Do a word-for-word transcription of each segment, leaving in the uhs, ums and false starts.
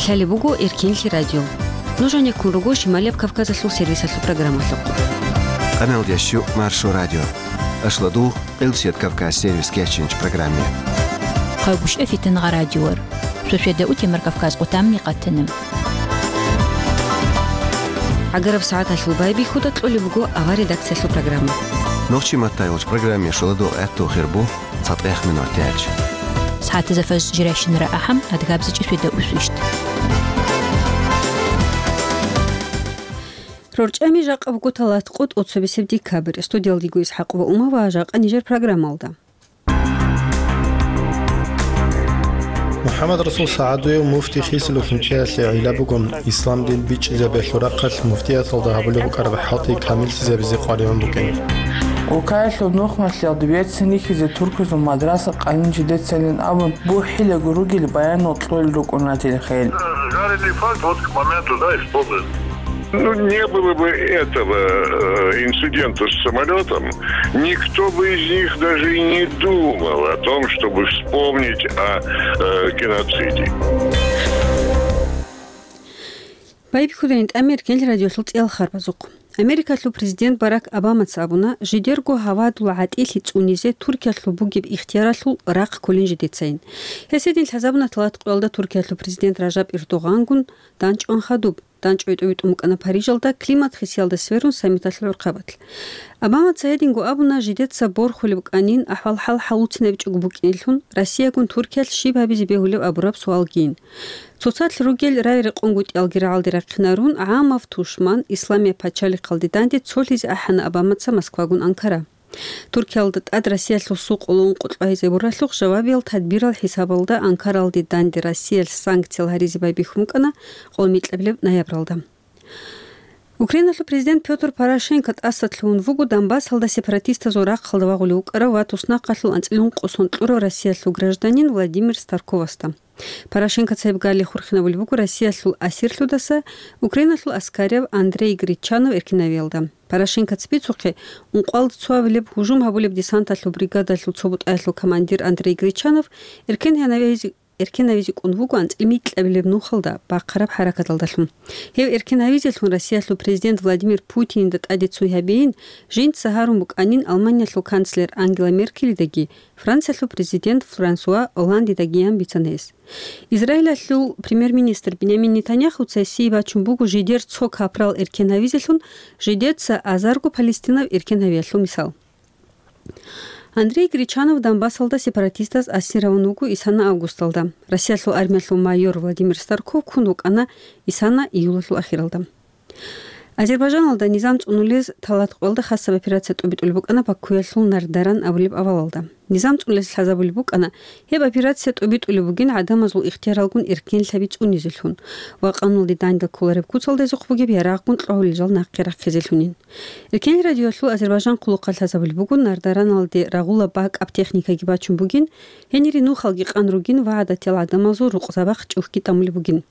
Гьале буго Эркенлъи радио. Нуж гьанеккун руго Шималияб Кавказалъул сервисалъул программалъухъ. Къаналдящу Маршо радио. Ашладугъ Къилбсият Кавказ сервис кечинч программе. Хъайгушъа фитангъа радиор. Шошеда утемар Кавказ къутамни къатана. ГӀагараб сагӀаталъул байбихьуда кьолеб буго авар редакциялъул программа. Нохчи маттай гъоч программе шоладугъ гӀатту хирбу. ЦатӀех минуталъ. СагӀатазда фаж жирайщинара ахӀам, адгабзичӀи шведа усвищт. РорчӀами жакъа буго талат къотӀ, оццабисеб декабрь. Студиялдиго Исхакъ ва Ума ва жакъа нижер программалда. МухӀаммад Расул СагӀадуев муфти хисулевлъун чӀеялъе гӀилла буго. Ислам дин бичӀчӀизабиялъул рахъалъ муфтияталда гьабулеб букӀараб хӀалтӀи камиллъизабизе къваригӀун букӀин. Улкаялъул нухмалъиялда берцин рихьизе туркузул мадраса къанин жидецайилан абун, бухӀилаго ругел баянал кьолел рукӀуна телехел. Жареный факт вот к моменту, да, исполнен. Ну, не было бы этого, э, инцидента с самолётом, никто бы из них даже и не думал о том, чтобы вспомнить о, э, геноциде. Байбихьудайин тӀамер гел радиолъул цӀиял харбазухъ. Америкалъул президент Барак Обамаца абуна, жидерго гьавадул гӀатӀилъи цӀунизе Туркиялъул бугеб ихтияралъул рахъ кколин жидецайин. Гьес гьедин лъазабуна талат къоялда Туркиялъул президент Ражаб Эрдогъангун данчӀван хадуб. ДанчӀвай тӀувитӀун букӀана Парижалда климат хисиялда сверун саммиталъул гӀурхъабалъ. Обамаца гьединго абуна, жидеца борхулеб букӀанин, ахӀвал-хӀал хӀалуцинабичӀого букӀинелъун, Россиягун Туркиялъ щиб гьабизе бегьулеб абураб суалгийин. Цоцалъ ругел рай-рекъон гутӀиялги рагӀалде рахъинарун, гӀамав тушман, Исламияб пачалихъалде данде цолъизе ахӀана Обамаца Москвагун Анкара. Туркиялда тӀад Россиялъул сукъулун къулъбагьизе буралъухъ жавабиял тадбирал хӀисабалда Анкаралде данде Россиялъ санкциял гьаризе байбихьун букӀана къолмикьабилеб ноябралда. Украиналъул президент Пётр Порошенко тӀаса лъугьун вуго Донбассалда сепаратистазул рахъалда вагъулев вукӀарав ва туснахъалъул анцӀила ункъо сон кьурав Россиялъул гражданин Владимир Старковасда. Порошенко цеб гали хурхинабулеб буго Россиялъул асирлъудаса Украиналъул аскарав Андрей Гречанов эркинавиялда. Порошенкоца бицухъе, ункъоялда цоабилеб гьужум гьабулеб десанталъул бригадалъул цо бутӀаялъул командир Андрей Гречанов эркенавизе, эркенавизе кӀун вуго анцӀила микьабилеб нухалда бахъараб хӀаракаталдалъун. Гьев эркенавизелъун Россиялъул президент Владимир Путинда тӀаде цой гьабейин, жинца гьарун букӀанин Алманиялъул канцлер Ангела Меркелидаги Франциялъул президент Франсуа Олландидагиян бицана гьес. Израилалъул премьер-министр Бинямин Нетаньяхуца гьесие бачун буго жидер цо капрал эркенавизелъун, жидеца азарго палестинав эркенавиялъул мисал. Андрей Гречанов Донбассалда сепаратистаз асир гьавун вуго исана августалда. Россиялъул армиялъул майор Владимир Старков ккун вукӀана исана июлалъул ахиралда. Азербайжаналда низам цӀунулез талат къоялда хасаб операция тӀубитӀулеб букӀана Бакуялъул Нардаран абулеб авалалда. Низам цӀунулез лъазабулеб букӀана, гьеб операция тӀубитӀулеб бугин гӀадамазул ихтияралгун эркенлъаби цӀунизелъун ва къануналде данде кколареб куцалдазухъ бугеб ярагъгун кьогьулел жал нахъе рахъизелъунин. Эркенлъи радиоялъул Азербайжан хъулухъалъ лъазабулеб буго, Нардараналде рагъула бакӀаб техникаги бачун бугин, гьенире нухалги къан ругин ва гӀадатиял гӀадамазул рукъзабахъ чӀухӀги тӀамулеб бугин.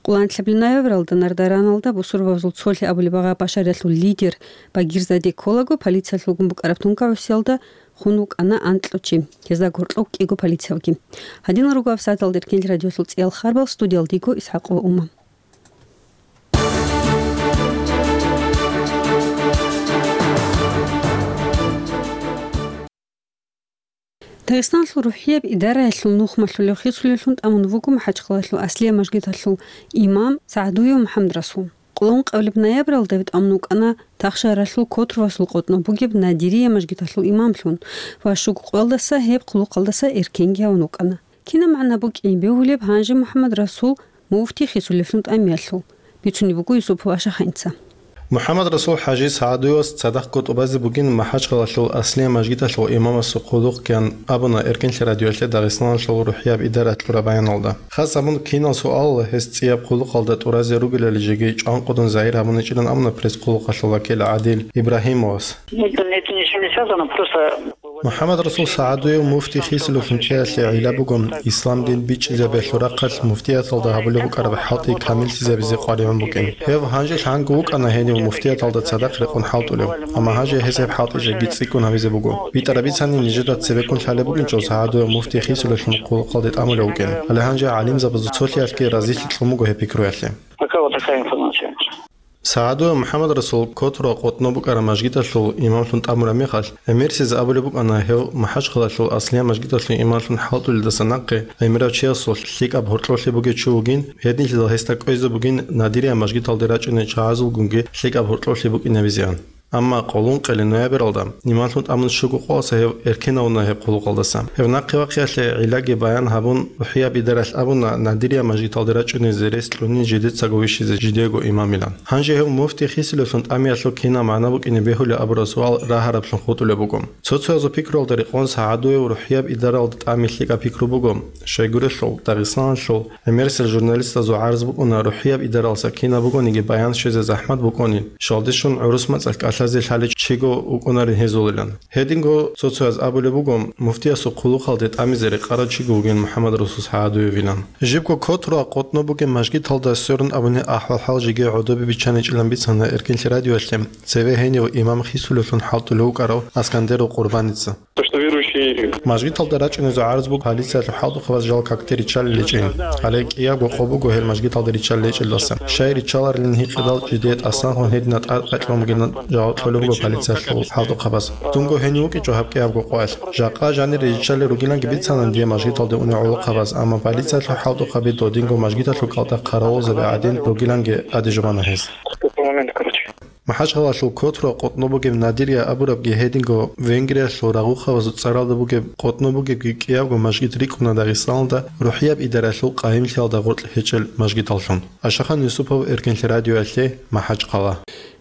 Къоло анлъабилеб ноябралда Нардараналда бусурбабазул цолъи абулеб агъа Башариялъул лидер Багирзаде кколаго, полициялъулгун букӀараб тункагӀусиялда хун вукӀана анкьго чи. Гьезда гьоркьоб кӀиго полициявги. Гьадинал руго гьабсагӀаталда Эркенлъи радиоялъул цӀиял харбал, студиялдиго Исхакъова Ума. Дагъистаналъул рухӀияб идараялъул нухмалъулев хисулевлъун тӀамун вуго МахӀачхъалалъул Аслия мажгиталъул имам СагӀдуев МухӀаммадрасул. Къоло ункъабилеб ноябралда гьев тӀамун вукӀана Тахшагьаралъул Котровасул къотӀнов бугеб Надирия мажгиталъул имамлъун ва щуго къоялдаса гьеб хъулухъалдаса эркенги гьавун вукӀана. Кинаб магӀна букӀин бегьулеб гьанже МухӀаммадрасул муфти хисулевлъун тӀамиялъул? Бицунеб буго Юсупов Ашаханца. МухӀаммадрасул ХӀажи СагӀдуевас цадахъго тӀубазе бугин МахӀачхъалалъул Аслия мажгиталъул имамасул хъулухъ ккан абуна Эркенлъи радиоялъе Дагъистаналъул рухӀияб идара кьураб баяналда. Хас абун кинал суал гьес цӀияб хъулухъалда тӀуразе ругелали жеги чӀванкъудун загьир гьабуничӀилан абуна пресс-хъулухъалъул вакил ГӀадил Ибрагьимовас. Нет, нет, это не с ними связано, просто МухӀаммад-Расул СагӀадуев муфти хисулевлъун чӀеялъе гӀилла буго, ислам дин бичӀчӀизабиялъул рахъалъ муфтияталда гьабулеб букӀараб хӀалтӀи камиллъизабизе къваригӀун букӀин. Гьев гьанже лъанго вукӀана гьенив муфтияталда цадахъ рекъон хӀалтӀулев, амма гьанже гьес гьеб хӀалтӀи жеги цӀикӀкӀун гьабизе буго. БитӀараб бицани нижеда цебеккун лъалеб букӀинчӀо СагӀадуев муфти хисулевлъун хъулухъалде тӀамулев вукӀин. Гьале гьанже гӀалимзабазул цолъиялъги разилъи кьун буго гьеб пикруялъе. Пока вот такая информация. СагӀадуев МухӀаммад-Расул Котруа къотӀноб букӀараб мажгиталъул имамлъун тӀамураб мехалъ, гӀемерисез абулеб букӀана гьев МахӀачхъалалъул аслияб мажгиталъул имамлъун хӀалтӀулелдаса нахъе гӀемерав чиясул лъикӀаб гьоркьоблъи бугев чи вугин, гьединлъидал гьесда кӀвезе бугин Надирия мажгиталде рачӀуней чагӀазулгунги лъикӀаб гьоркьоблъи букӀинабизеан. Амма къоло ункъоялда ноябралда, имамлъун тӀамун щуго къоялъ гьев эркенавуна гьеб хъулухъалдаса. Гьев нахъе вахъиялъе гӀиллаги баян гьабун, РухӀияб идаралъ абуна, Надирия мажгиталде рачӀуней зерес кьунин жидецаго вищизе жидего имамилан. Гьанже гьев муфти хисулевлъун тӀамиялъул кинаб магӀна букӀине бегьулеб абураб суал рагьараблъун хутӀулеб буго. Цо-цоязул пикруялда рекъон СагӀадуев РухӀияб идаралда тӀами лъикӀаб пикру буго. Щайгурелъул, Дагъистаналъул гӀемерисел журналистазул гӀарз букӀуна РухӀияб идаралъа кинаб бугониги баян щвезе захӀмат букӀунин, щалдищун гӀурус мацӀалъ кӀалъазе лъалев чиго вукӀунарин гьезулилан. Гьединго цо-цояз абулеб буго, муфтиясул хъулухъалде тӀамизе рекъарав чиго вугин МухӀаммад-Расул СагӀадуевилан. Жибго Котруа къотӀноб бугеб мажгиталда сверун абуни ахӀвал-хӀал жеги гӀодобе биччаничӀилан бицана Эркенлъи радиоялъе цеве гьенив имам хисулевлъун хӀалтӀулев вукӀарав Аскандеров Къурбаница. То, что верующие Мажгиталда рачӀунезул гӀарз буго полициялъул хӀалтӀухъабаз жал какде риччалел гьечӀин. Гьале кӀиябго къо буго гьел мажгиталда риччалел гьечӀелдаса. Щай риччаларилин гьикъидал жидее тӀасан хун гьедина тӀадкъекълъун бугин жаваб кьолеб буго полициялъул хӀалтӀухъабаз. Дунго гьенив вукӀинчӀо гьаб кӀиябго къоялъ. Жакъа жанир риччалел ругиланги бицана дие мажгиталде унев гӀолохъабаз, амма полициялъул хӀалтӀухъаби додинго мажгиталъул кӀалтӀа хъаравулзаби гӀадин ругиланги тӀаде жубана гьез. МахӀачхъалалъул Котруа къотӀноб бугеб Надирия абурабги гьединго Венгриялъул рагъухъабазул цӀаралда бугеб къотӀноб бугебги кӀиябго мажгит рикӀкӀуна Дагъистаналда РухӀияб идаралъул къайимлъиялда гъоркь гьечӀел мажгиталлъун. Ашахан Юсупов, Эркенлъи радиоялъе, МахӀачхъала.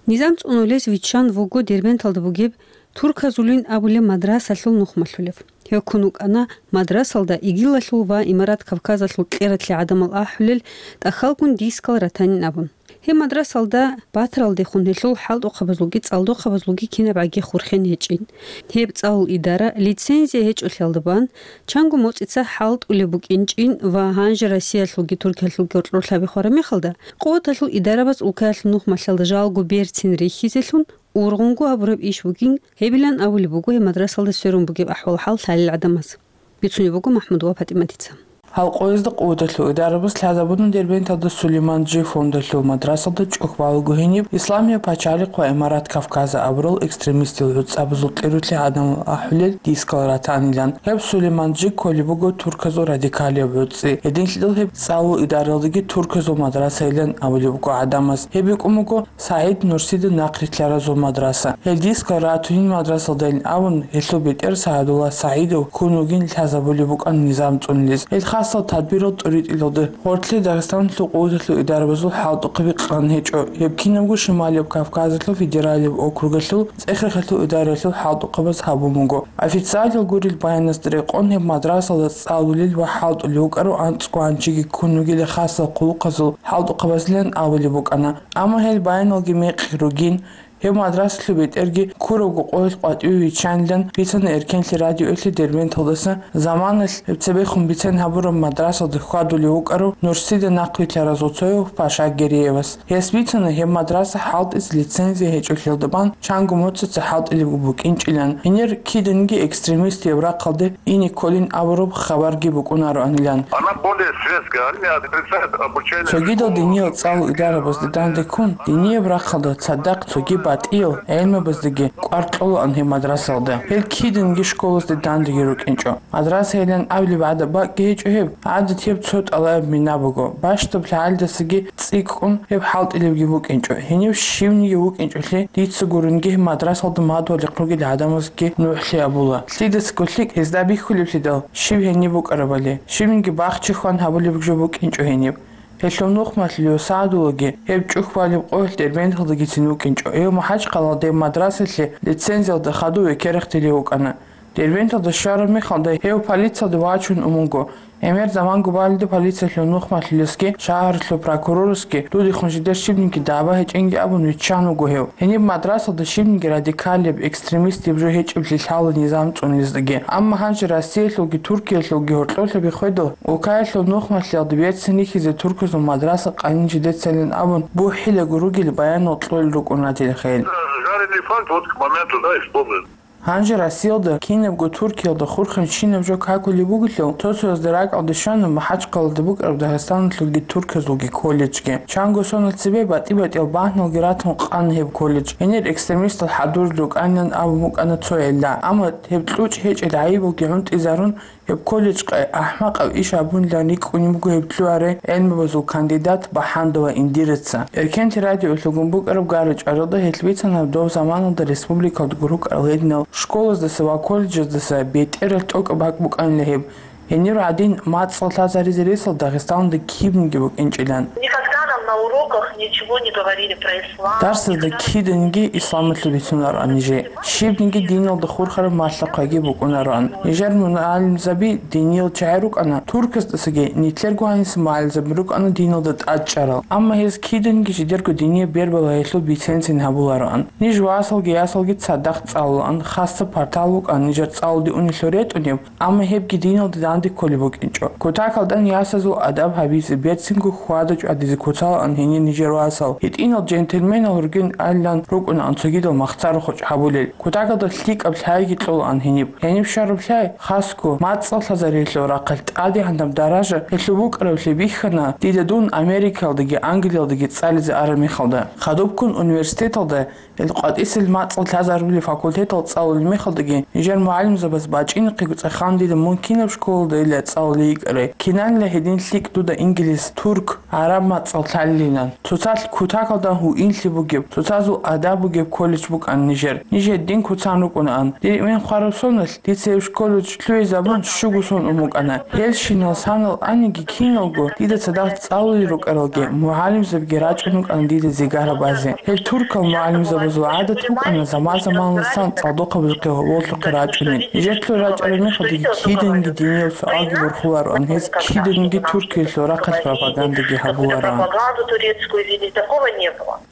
Низам цӀунулез виччан вуго Дербенталда бугеб Турказулин абулеб мадрасалъул нухмалъулев. Гьев ккун вукӀана мадрасалда ИГИЛалъул ва Имарат Кавказалъул кьератлъи гӀадамал ахӀулел тӀахьалгун дискал ратанин абун. Гьеб мадрасалда батаралдехун гьелъул хӀалтӀухъабазулги цӀалдохъабазулги кинабгӀаги хурхен гьечӀин. Гьеб цӀалул идара лицензия гьечӀолъиялда бан, чанго моцӀица хӀалтӀулеб букӀинчӀин ва гьанже Россиялъулги Туркиялъулги гьоркьор лъаби хвараб мехалда, къуваталъул идарабаз улкаялъул нухмалъалда жалго берцин рихьизелъун ургъунго гьабураб иш бугин гьебилан абулеб буго гьеб мадрасалда сверун бугеб ахӀвал-хӀал лъалел гӀадамаз. Бицунеб буго МахӀмудова ПатӀиматица. Гьал къоязда къуваталъул идарабаз лъазабуна Дербенталда Сулейман-Джи фондалъул мадрасалда чӀухь балаго гьениб Исламияб пачалихъ ва Имарат Кавказа абурал экстремистил гӀуцӀабазул кьератлъи гӀадамал ахӀулел дискал ратанилан. Гьеб Сулейман-Джи кколеб буго турказул радикалияб гӀуцӀи. Гьединлъидал гьеб цӀалул идаралдаги турказул мадрасайилан абулеб буго гӀадамаз. Гьеб букӀун буго СагӀид Нурсида нахърилълъаразул мадраса. Гьел дискал ратунин мадрасалдайин абун, гьелъул бетӀер СагӀадулла СагӀидов ккун вугин лъазабулеб букӀана низам цӀунулез. Гьел хасал тадбирал тӀуритӀилалда гьоркье Дагъистаналъул къуваталъул идарабазул хӀалтӀухъаби къан гьечӀо. Гьеб кинабго Шималияб Кавказалъул федералияб округалъул цӀехерхалъул идаралъул хӀалтӀухъабаз гьабун буго. Официалил гурел баянасда рекъон гьеб мадрасалда цӀалулел ва хӀалтӀулев вукӀарав анцӀго гӀанжиги ккун вугила хасал хъулухъазул хӀалтӀухъабазилан абулеб букӀана. Амма гьел баяналги мекъи ругин, гьеб мадрасалъул бетӀерги ккурабго къоялъ къватӀиве виччанилан бицана Эркенлъи радиоялъе Дербенталдаса заманалъ гьеб цебехун бицен гьабураб мадрасалда хьвадулев вукӀарав Нурсида нахърилълъаразул цояв Паша Гереевас. Гьес бицана гьеб мадраса хӀалтӀизе лицензия гьечӀолъиялда бан чанго моцӀица хӀалтӀулеб букӀинчӀилан, гьенир киданги экстремистияб рахъалде ине кколин абураб хабарги букӀунароанилан. Она более светская, они отрицают обучение. Цогидал диниял цӀалул идарабазда данде ккун, динияб рахъалда цадахъ цоги батӀиял гӀелмабаздаги кӀвар кьолаан гьеб мадрасалда. Гьел киданги школазда дандеги рукӀинчӀо. Мадрасайилан абулеб гӀадаб бакӀги гьечӀо гьеб, гӀадатияб цо тӀалаб мина буго. Бащдаб лъагӀалдасаги цӀикӀкӀун гьеб хӀалтӀулебги букӀинчӀо. Гьенив щивниги вукӀинчӀолъи, дица гурунги гьеб мадрасалда мадугьалихъ ругел гӀадамазги нугӀлъи абула. Лъидасаго лъикӀ гьезда бихьулеблъидал, щив гьениб букӀарабали, щибниги бахчи хван гьабулеб жо букӀинчӀо гьениб. Гьелъул нухмалъулев СагӀадуллаги гьеб чӀухь балеб къоялъ Дербенталдагицин вукӀинчӀо. Гьев МахӀачхъалалде мадрасалъе лицензиялда хадув векерахъ телев вукӀана. Дербенталда щвараб мехалда гьев полициялде вачун умуго. ГӀемер заманго балида полициялъул нухмалъулесги шагьаралъул прокурорасги дудехун жидер щибниги даба гьечӀинги абун виччан вуго гьев. Гьениб мадрасалда щибниги радикалияб, экстремистияб жо гьечӀеблъи лъала низам цӀуниздаги. Амма гьанже Россиялъулги Туркиялъулги гьоркьоблъиги хведал, улкаялъул нухмалъиялда берцин рихьизе турказул мадраса къанин жидецайилан абун бухӀилаго ругел баянал кьолел рукӀун ратил хел. Жареный факт вот к моменту, да, исполнен. Гьанже Россиялда, кинабго Туркиялда хурхарабщинаб жо какулеб бугелъул, цо-цоязда ракӀалде щвана МахӀачхъалада букӀараб Дагъистаналъулги турказулги колледжги. Чанго соналъ цебе батӀи-батӀиял багьналги ратун къана гьеб колледж. Гьенир экстремистал хӀадурал рукӀанилан абун букӀана цо гӀилла. Амма гьеб кьучӀ гьечӀел гӀайибалги гӀунтӀизарун, гьеб колледжкъе ахӀмакъаб иш гьабунилан рикӀкӀунеб буго гьеб лъугьарай гӀелмабазул кандидат БахӀандова Индираца. Эркенлъи радиоялъ гьабун букӀараб гара-чӀваралда гьелъ бицана доб заманалда республикалда рукӀарал гьединал школаздаса ва колледжаздаса бетӀералъ тӀокӀаб бакӀ букӀанила гьеб. Гьенир гӀадин, мацӀал лъазаризе ресал Дагъистаналда кибниги букӀинчӀилан. Никогда нам на уроках ничего не говорили про ислам. Дарсазда киданиги исламалъул бицунароан нижее. Щибниги диналда хурхараб малъа-хъваги букӀунароан. Нижер мугӀалимзаби диниял чагӀи рукӀана, туркасдасаги, нилъерго гьаниса мугӀалимзаби рукӀана диналда тӀадчӀарал. Амма гьез киданиги жидерго динияб бербала гьелъул бицен-цин гьабулароан. Ниж васалги ясалги цадахъ цӀалулаан, хасаб партал букӀана нижер цӀалулде унелъул ретӀунеб, амма гьебги диналда данде кколеб букӀинчӀо. Кутакалдан ясазул адаб гьабизе, берцинго хьвада-чӀвадизе куцалаан гьенир нижер васал. ГьитӀинал джентльменал ругин айилан рукӀунаан цогидал махцарухъ гьабулел. Кутакалда лъикӀаб лъайги кьолаан гьениб. Гьениб щвараб лъай, хасго, мацӀал лъазариялъул рахъалъ тӀадегӀанаб даража гьелъул букӀараблъи бихьана дида дун Америкаялдаги Англиялдаги цӀализе араб мехалда. Хадубккун университеталда Гьел къватӀисел мацӀал лъазарулел факультетал цӀалулел мехалдаги, нижер мугӀалимзабаз бачӀинехъего цӀеханила мун кинаб школалдайила цӀалулей йикӀарай, кинанила гьедин лъикӀ дуда инглис, турк, гӀараб мацӀал лъалилан. Цоцалъ кутакалда гьуинлъи бугеб, цоцазул адаб бугеб колледж букӀана нижер. Ниж гьедин куцан рукӀунаан. Дир эмен хвараб соналъ, дица гьеб колледж лъугӀизабун щуго сон ун букӀана. Гьелщинал санал аниги киналго, дида цадахъ цӀалулел рукӀаралги, мугӀалимзабиги рачӀун рукӀана дида зигара базе. Гьел туркал мугӀалимзабазул гӀадат букӀана заман-заманалдасан цӀалдохъабазухъе гьоболлъухъе рачӀунел. Нижелъул рачӀараб мехалдаги киданиги динияб суалги борхулароан, гьез киданиги Туркиялъул рахъалъ пропагандаги гьабулароан.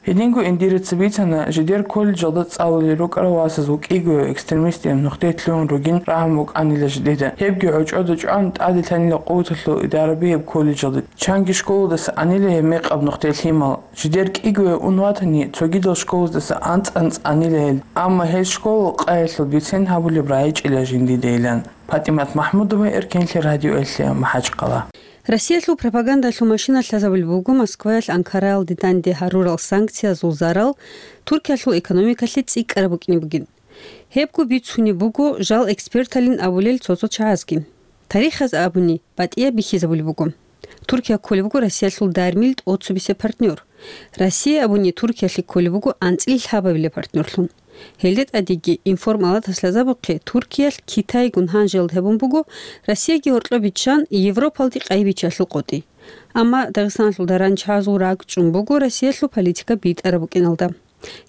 Гьединго Индираца бицана, жидер колледжалда цӀалулел рукӀарал васазул кӀигояв экстремистияб нухде лъугьун ругин рагӀун букӀанила жидеда. Гьебги гӀочӀода чӀван, тӀаде лъанила къуваталъул идараби гьеб колледжалда. Чанги школадаса анила гьеб мекъаб нухде лъимал. Жидер кӀигояв ун ватани, цогидал школаздаса анцӀ-анцӀ анила гьел. Амма гьел школа къаялъул бицен гьабулеб рагӀичӀила жиндидайилан. ПатӀимат МахӀмудова, Эркенлъи радиоялъе, МахӀачхъала. Россиялъул пропагандалъул машина лъазабулеб буго Москваялъ Анкараялде данде гьарурал санкциязул зарал Туркиялъул экономикалъе цӀикӀкӀараб букӀине бугин. Гьебго бицунеб буго жал эксперталин абулел цо-цо чагӀазги. Тарихаз абуни, батӀияб бихьизабулеб буго. Туркия кколеб буго Россиялъул дармил тӀоцебесеб партнер. Россия абуни Туркиялъе кколеб буго анцӀил лъабабилеб партнерлъун. Гьелде тӀадеги информалатас лъазабухъе Туркиялъ Китайгун гьанжелалда гьабун буго Россияги гьоркьоб биччан Европалде къайи биччалъул къотӀи. Амма Дагъистаналъул даран чагӀазул ракӀчӀун буго Россиялъул политика битӀараб букӀиналда.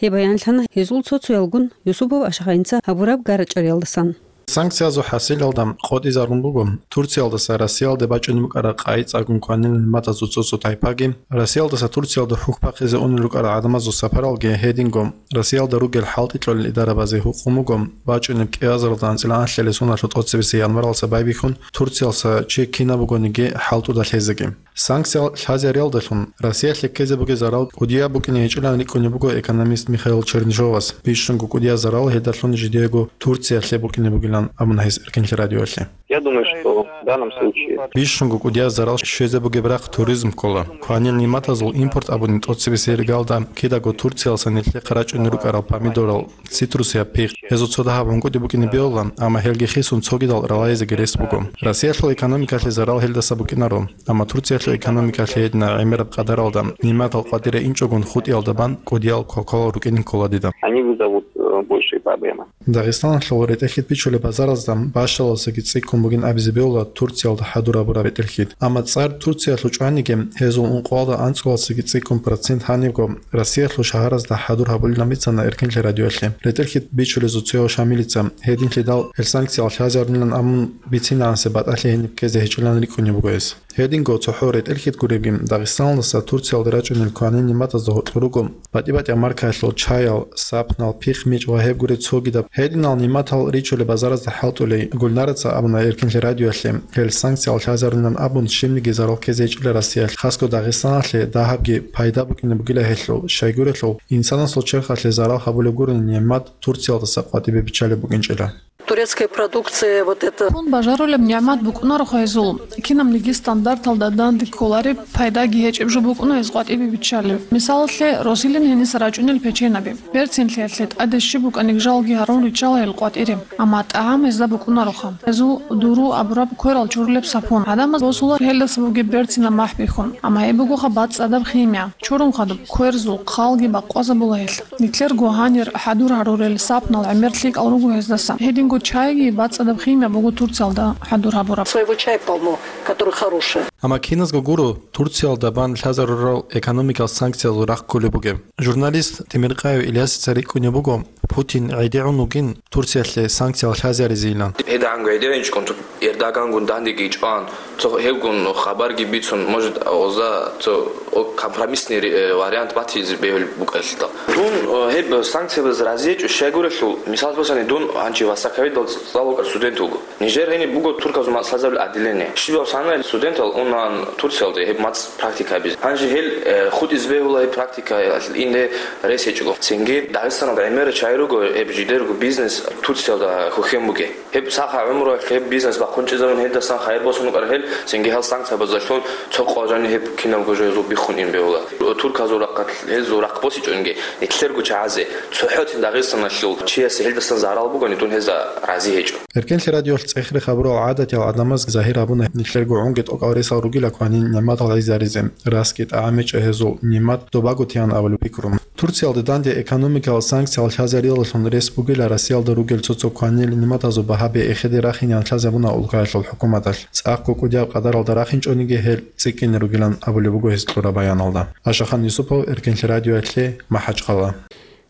Гьеб баянлъана гьезул цо-цоялгун Юсупов Ашагъайнца гьабураб гара-чӀвариялдасан. Санкциязул хӀасилалда къотӀизарун буго Турциялдаса Россиялде бачӀунеб букӀараб къайи цӀакъ кванил нигӀматазул цо-цо тайпаги, Россиялдаса Турциялда хӀухьбахъизе унел рукӀарал гӀадамазул сапаралги. Гьединго Россиялда ругел хӀалтӀи кьолел идарабазе гьукъун буго бачӀунеб кӀиазаралда анцӀила анлъабилеб соналъул тӀоцебесеб январалдаса байбихьун Турциялдаса чи кинаб бугониги хӀалтӀуда лъезеги. Санкция лъазариялдалъун Россиялъе ккезе бугеб зарал кӀудияб букӀине гьечӀилан рикӀкӀунеб буго экономист Михаил Чернышовас. Бищунго кӀудияб зарал гьелдалъун жидеего Турциялъе букӀине бугилан абуна гьес Эркенлъи радиоялъе. Я думаю, что в данном случае Бищунго кӀудияб зарал щвезе бугеб рахъ туризм ккола. Кванил нигӀматазул импорт абуни тӀоцебесеб иргалда кидаго Турциялдаса нилъехъе рачӀунел рукӀарал помидорал, цитрусияб пихъ. Гьезул цо дагьаб гӀунгутӀи букӀине бегьула, амма гьелги хисун цогидал ралайзеги рес буго. Россиялъул экономикалъе зарал гьелдаса букӀинаро, амма Турциялъул экономикалъе гьединаб гӀемераб къадаралда нигӀматал къватӀире инчӀогун хутӀиялда бан кӀудиял квалквал рукӀине ккола дида. Они вызовут, э, большие проблемы. Дагъистаналъул ретӀел-хьид бичулеб базаразда бащаласаги цӀикӀкӀун бугин абизе бегьула Турциялда хӀадур гьабураб ретӀел-хьид. Амма цӀар Турциялъул чӀваниги, гьезул ункъоялда анцӀгоялдасаги цӀикӀкӀун процент гьанибго Россиялъул шагьаразда хӀадур гьабулилан бицана Эркинлъи радиоялъе. РетӀел-хьид бичулезул цояв Шамилица, гьединлъидал гьел санкциялъ лъазарунилан абун бицинегӀанасеб батӀалъи гьениб ккезе гьечӀилан рикӀкӀунеб буго гьес. Гьединго цохӀо ретӀел-хьид гуребги, Дагъистаналдаса Турциялде рачӀунел кванил нигӀматазда гьоркьор руго батӀи-батӀияб маркаялъул чаял, сапнал, пихъ-мичӀ ва гьеб гуреб цогидаб. Гьединал нигӀматал ричулеб базаразда хӀалтӀулей Гульнараца абуна Эркинлъи радиоялъе, гьел санкциялъ лъазарунилан абун щибниги зарал ккезе гьечӀила Россиялъ, хасго Дагъистаналъе дагьабги пайда букӀине бугила гьелъул, щайгурелъул, инсанасул черхалъе зарал гьабулеб гурони нигӀмат Турциялдаса къватӀибе биччалеб букӀинчӀила. Турецкая продукция, вот это. Хун бажарулеб нигӀмат букӀунароха гьезул. Кинабниги стандарталда данде кколареб, пайдаги гьечӀеб жо букӀуна гьез къватӀибе биччалеб. Мисалалъе, росилин гьениса рачӀунел печенаби. Берцинлъиялъе тӀаде щиб букӀаниги жалги гьарун риччала гьел къватӀире. Амма тӀагӀам гьезда букӀунароха. Гьезул дуру абураб кверал чурулеб сапун. ГӀадамаз босула гьелдаса бугеб берцинаб махӀ бихьун. Амма гьеб бугоха бацӀцӀадаб химия. Чурун хадуб кверзул хъалги бакъвазабула гьелъ. Нилъерго гьанир хӀадур гьарурел сапнал гӀемер лъикӀал руго гьездаса. Гьединго чайги бацӀцӀадаб химия буго Турциялда хӀадур гьабураб. Своего чая полно, который хороший. Амма киназго гуро Турциялда бан лъазарурал экономикал санкциязул рахъ кколеб бугеб. Журналист Темиркъаев Ильясица рикӀкӀунеб буго, Путин гӀедегӀун вугин Турциялъе санкциялъ лъазаризейилан. ГьедагӀанго гӀедегӀинчӀкӀун Эрдогангун дандеги чӀван, цо гьевгун хабарги бицун, может, оза цо о-, компромиссный ре-, э, вариант батизе бегьулеб букӀалъидал. Дун, э, гьеб санкциябаз разиечӀо щайгурелъул, мисал босани, дун гьанчи вассаковидал цӀалукӀар студент вуго. Нижер гьениб буго турказул мацӀ лъазабил отделение. Щибаб санай студентал унан Турциялде гьеб мацӀ практика гьабизе. Гьанже гьел, э, хутӀизе бегьула гьеб практикаялъ инде рес гьечӀого. Цинги Дагъистаналда гӀемер чай руго, гьеб жидерго бизнес Турциялда хухьен бугеб. Гьеб сахаб гӀумруялъ гьеб бизнес бахъун чӀезабун гьелдасан хайир босун букӀараб гьел, цинги гьал санкциябазалъун цо къо жани гьеб кинабго жо гьезул биххун ин бегьула. Турказул рахъалъ гьезул рахъ босичӀонги, нилъерго чагӀазе, цохӀо цин Дагъистаналъул чиясе гьелдасан зарал бугони, дун гьезда рази гьечӀо. Эркенлъи радиоялъ цӀехре хабурал гӀадатиял гӀадамаз загьир гьабуна нилъерго гӀунги тӀокӀал ресал ругила кванин нигӀматал гӀезаризе, расги тӀагӀам гьечӀо гьезул, нигӀмат добаго теян абулеб пикру. Турциялде данде экономикал санкциялъ лъазарилаллъун рес бугила Россиялда ругел цо-цо кванил нигӀматазул багьаби эхеде рахинян лъазабуна улкаялъул хӀукуматалъ. ЦӀакъго кӀудияб къадаралда рахинчӀониги гьел цӀикӀкӀине ругилан абулеб буго гьес кьураб баяналда. Ашахан Юсупов, Эркенлъи радиоялъе, МахӀачхъала.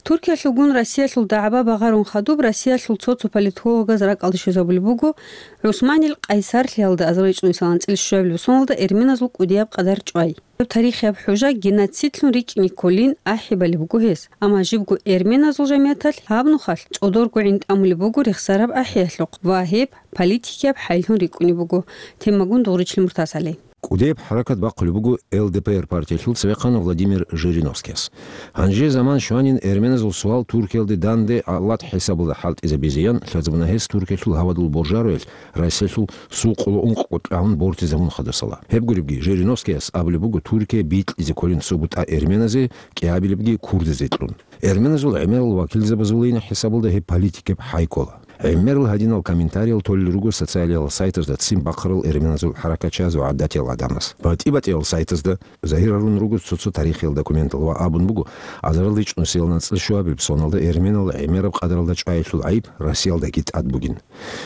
Туркиялъулгун Россиялъул дагӀба багъарун хадуб Россиялъул цо-цо политологаз ракӀалде щвезабулеб буго ГӀусманил Къайсарлъиялда азарилчӀун исалан анцӀила щуабилеб соналда эрменазул кӀудияб къадар чӀвай. Тарихияб хӀужа геноцидлъун рикӀкӀине кколин ахӀи балеб буго гьес, амма жибго эрменазул жамияталъ гьаб нухалъ цӀодорго гӀин тӀамулеб буго рехсараб ахӀиялъухъ ва гьеб политикияб хӀайлъун рикӀкӀунеб буго. Темагун Дугъричлъи Муртазали. КӀудияб хӀаракат бахъулеб буго Л Д П Р партиялъул цевехъан Владимир Жириновскияс. Гьанже заман щванин эрменазул суал Туркиялде данде аллат хӀисабалда хӀалтӀизабизеян лъазабуна гьес Туркиялъул гьавадул боржароялъ Россиялъул сул къоло ункъго тӀагӀун бортизабун хадасала. Гьеб гуребги, Жириновскияс абулеб буго Туркия бикьизе кколин цо бутӀа эрменазе, кӀиабилебги курдазе кьун. Эрменазул гӀемерал вакилзабазулейин хӀисабалда гьеб политикаб хӀай ккола. ГӀемерал гьадинал комментариял толел руго социалиял сайтазда ццин бахъарал эрменазул хӀаракатчияз ва гӀадатиял гӀадамаз. БатӀи-батӀиял сайтазда загьир гьарун руго цо-цо тарихиял документал ва абун буго, азарилчӀун исалан анцӀила щуабилеб соналда эрменал гӀемераб къадаралда чӀваялъул гӀайиб Россиялдаги тӀад бугин.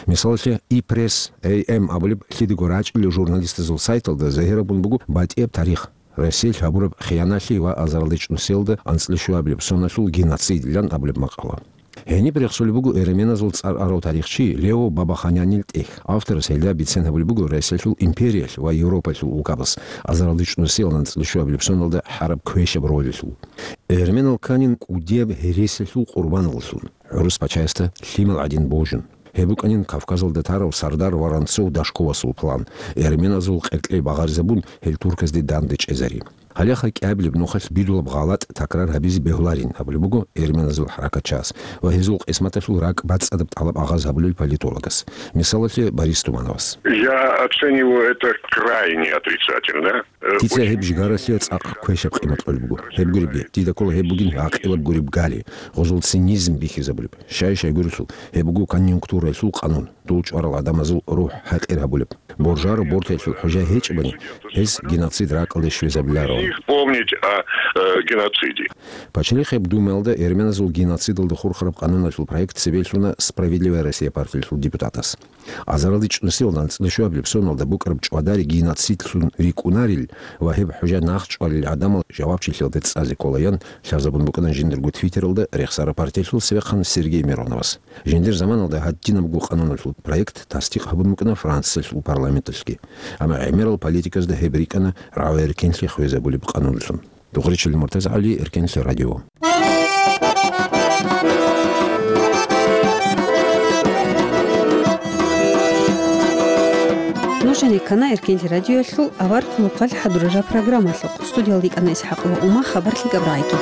Мисалалъе, И-Пресс, Эй Эм абулеб лъидего рачӀунел журналистазул сайталда загьир гьабун буго батӀияб тарих, Россиялъ гьабураб хиянатлъи ва азарилчӀун исалда анцӀила щуабилеб соналъул геноцидилан абулеб макъала. Гьениб рехсолеб буго эрменазул цӀар арав тарихчи Лео Бабаханианил тӀехь. Авторас гьелда бицен гьабулеб буго Россиялъул империялъ ва Европалъул улкабаз азарилчӀун исалан анцӀила щуабилеб соналда гьараб квешаб ролалъул. Эрменал кканин кӀудияб гьересиялъул къурбаналлъун, гӀурус пачаясда лъимал гӀадин божун. Гьеб букӀанин Кавказалда тарав сардар Воронцов-Дашковасул план, эрменазул къеркьей багъаризабун, гьел турказде данде чӀезари. Гьалеха кӀиабилеб нухалъ бидулаб гъалатӀ такрар гьабизе бегьуларин абулеб буго эрменазул хӀаракатчияс ва гьезул къисматалъул ракӀ бацӀцӀадаб тӀалаб агъаз гьабулел политологас, мисалалъе, Борис Тумановас. Я оцениваю это крайне отрицательно. Э, Дица очень гьеб жигаралъе цӀакъ квешаб къимат кьолеб буго. Гьеб гуребги, дида ккола гьеб бугин гӀакъилаб гуреб гали, гъозул цинизм бихьизабулеб. Щай-щайгурелъул, гьеб буго конъюнктуралъул къанун, дул чӀварал гӀадамазул рухӀ хӀакъир гьабулеб. Боржаро бортаялъул хӀужа гьечӀебани, гьез геноцид ракӀалде щвезабиларо. Их помнить о, э, геноциде. Пачалихъеб Думаялда эрменазул геноцидалда хурхараб къануналъул проект цебе лъуна «Справедливая Россия» партиялъул депутатас. Азаралде чӀунусиялда анцӀила щуабилеб соналда букӀараб чӀвадари геноцидлъун рикӀкӀунарил ва гьеб хӀужа нахъчӀвалел гӀадамал жавабчилъиялде цӀазе кколаян лъазабун букӀана жиндирго Твиттералда рехсараб партиялъул цевехъан Сергей Мироновас. Жиндир заманалда гьадинабго къануналъул проект тасдикъ гьабун букӀана Франциялъул парламенталъги. Амма гӀемерал политиказда гьеб рикӀкӀана рагӀи-эркенлъи хвезабулеб къануналъун. Духъричилин Муртазагьали, Эркенлъи радио. Нуж гьанир ккана Эркенлъи радиоялъул аварагасул хъалихъ хӀадурараб программалъухъ. Студиялда йикӀана ИсхӀакъ ва Ума, хабар лъикӀаб рагӀиги.